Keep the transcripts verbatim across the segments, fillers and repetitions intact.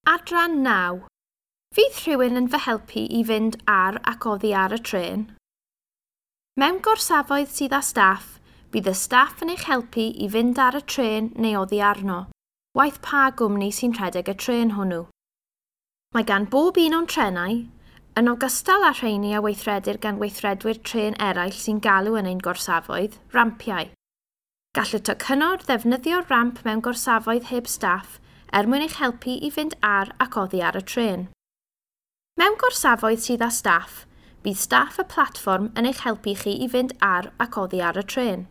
Adran naw. Fydd rhywun yn fy helpu i fynd ar ac oddi ar y trên? Mewn gorsafoedd sydd â staff, bydd y staff yn eich helpu i fynd ar y trên neu oddi arno, waeth pa gwmni sy'n rhedeg y trên hwnnw. Mae gan bob un o'n trenau, yn ogystal â rheini a weithredir gan weithredwyr trên eraill sy'n galw yn ein gorsafoedd, rampiau. Gall y tocynnwr ddefnyddio'r ramp mewn gorsafoedd heb staff er mwyn eich helpu i fynd ar ac oddi ar y trên. Mewn gorsafoedd sydd â staff, bydd staff y platfform yn eich helpu chi i fynd ar ac oddi ar y trên.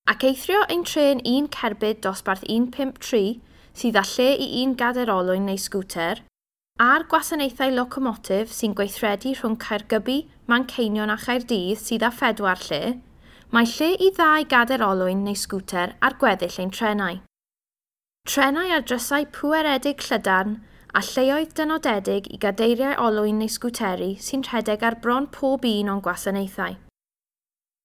Ac eithrio ein trên un cerbyd dosbarth un pump tri sydd â lle i un gadair olwyn neu sgwter, a'r gwasanaethau locomotif sy'n gweithredu rhwng Caergybi, Manceinion a Chaerdydd sydd â phedwar lle, mae lle i ddau gadair olwyn neu sgwter ar gweddill ein trenau. Trenau ar drysau pweredig llydan a lleoedd dynodedig i gadeiriau olwyn neu sgwteri sy'n rhedeg ar bron pob un o'n gwasanaethau.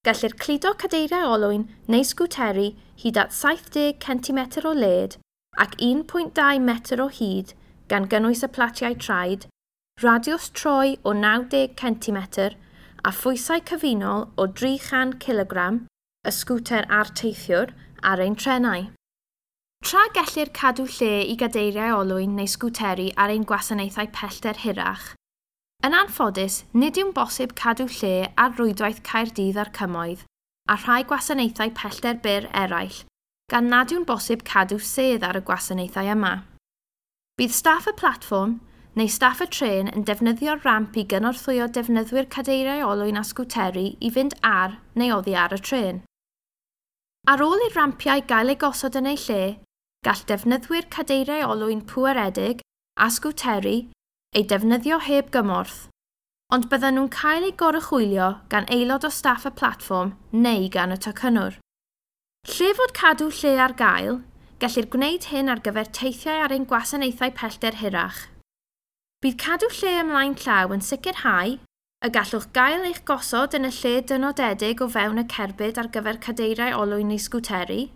Gellir cludo cadeiriau olwyn neu sgwteri hyd at saith deg centimetr o led ac un pwynt dau metr o hyd gan gynnwys y platiau traed, radiws troi o naw deg centimetr a phwysau cyfunol o dri chan cilogram, y sgwter a'r teithiwr, ar ein trenau. Tra gellir cadw lle i gadeiriau olwyn neu sgwteri ar ein gwasanaethau pellter hirach, yn anffodus, nid yw'n bosib cadw lle ar rwydwaith Caerdydd a'r Cymoedd a rhai gwasanaethau pellter byr eraill, gan nad yw'n bosib cadw sedd ar y gwasanaethau yma. Bydd staff y platfform neu staff y trên yn defnyddio'r ramp i gynorthwyo defnyddwyr cadeiriau olwyn a sgwteri i fynd ar neu oddi ar y trên. Ar ôl i'r rampiau gael eu gosod yn eu lle, gall defnyddwyr cadeiriau olwyn pweredig a sgwteri eu defnyddio heb gymorth, ond byddan nhw'n cael eu goruchwylio gan aelod o staff y platfform neu gan y tocynnwr. Lle fod cadw lle ar gael, gellir gwneud hyn ar gyfer teithiau ar ein gwasanaethau pellter hirach. Bydd cadw lle ymlaen llaw yn sicrhau y gallwch gael eich gosod yn y lle dynodedig o fewn y cerbyd ar gyfer cadeiriau olwyn neu sgwteri,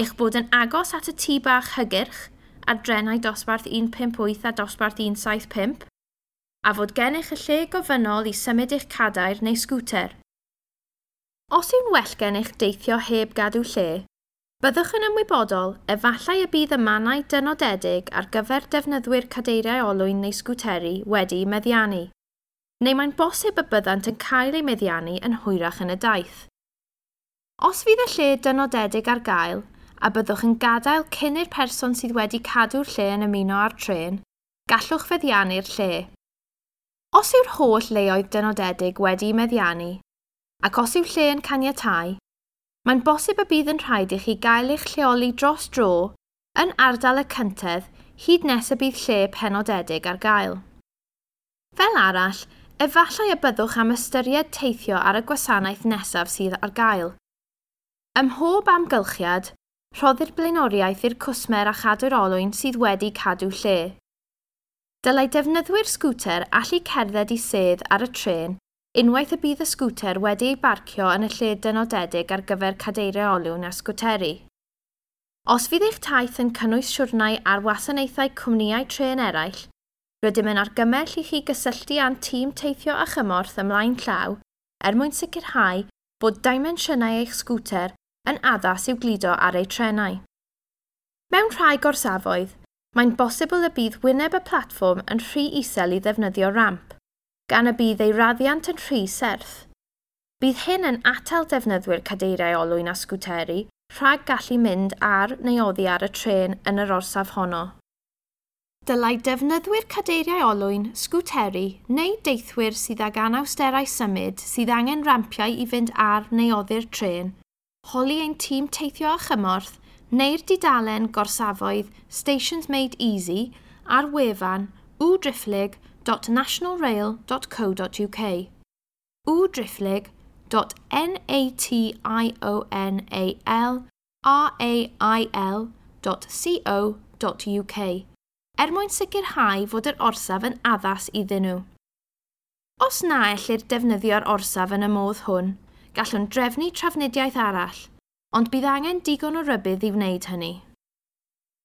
eich bod yn agos at y tŷ bach hygyrch ar drenau dosbarth un pump wyth a dosbarth un saith pump, a fod gennych y lle gofynnol i symud eich cadair neu sgwter. Os yw'n well gennych deithio heb gadw lle, byddwch yn ymwybodol efallai y bydd y mannau dynodedig ar gyfer defnyddwyr cadeiriau olwyn neu sgwteri wedi'u meddiannu, neu mae'n bosib y byddant yn cael eu meddiannu yn hwyrach yn y daith. Os fydd y lle dynodedig ar gael, a byddwch yn gadael cyn i'r person sydd wedi cadw'r lle yn ymuno â'r trên, gallwch feddiannu'r lle. Os yw'r holl leoedd dynodedig wedi'u meddiannu, ac os yw lle yn caniatáu, mae'n bosib y bydd yn rhaid i chi gael eich lleoli dros dro yn ardal y cyntedd hyd nes y bydd lle penodedig ar gael. Fel arall, efallai y byddwch am ystyried teithio ar y gwasanaeth nesaf sydd ar gael. Ym mhob amgylchiad, rhoddir blaenoriaeth i'r cwsmer a chadw'r olwyn sydd wedi cadw lle. Dylai defnyddwyr sgwter allu cerdded i sedd ar y trên unwaith y bydd y sgwter wedi ei barcio yn y lle dynodedig ar gyfer cadeiriau olwyn a sgwteri. Os fydd eich taith yn cynnwys siwrnai ar wasanaethau cwmnïau trên eraill, rydym yn argymell i chi gysylltu â'n tîm teithio a chymorth ymlaen llaw er mwyn sicrhau bod dimensiynau eich sgwter yn addas i'w gludo ar eu trenau. Mewn rhai gorsafoedd, mae'n bosibl y bydd wyneb y platfform yn rhy isel i ddefnyddio ramp, gan y bydd ei raddiant yn rhy serth. Bydd hyn yn atal defnyddwyr cadeiriau olwyn a sgwteri rhag gallu mynd ar neu oddi ar y trên yn yr orsaf honno. Dylai defnyddwyr cadeiriau olwyn, sgwteri neu deithwyr sydd ag anawsterau symud sydd angen rampiau i fynd ar neu oddi'r trên, holi ein tîm teithio a chymorth neu'r dudalen gorsafoedd Stations Made Easy ar wefan w driphlyg dot national rail dot co dot U K w driphlyg dot n a t i o n a l r a i l dot c o dot U K er mwyn sicrhau fod yr orsaf yn addas iddyn nhw. Os na ellir defnyddio'r orsaf yn y modd hwn, gallwn drefnu trafnidiaeth arall, ond bydd angen digon o rybudd i wneud hynny.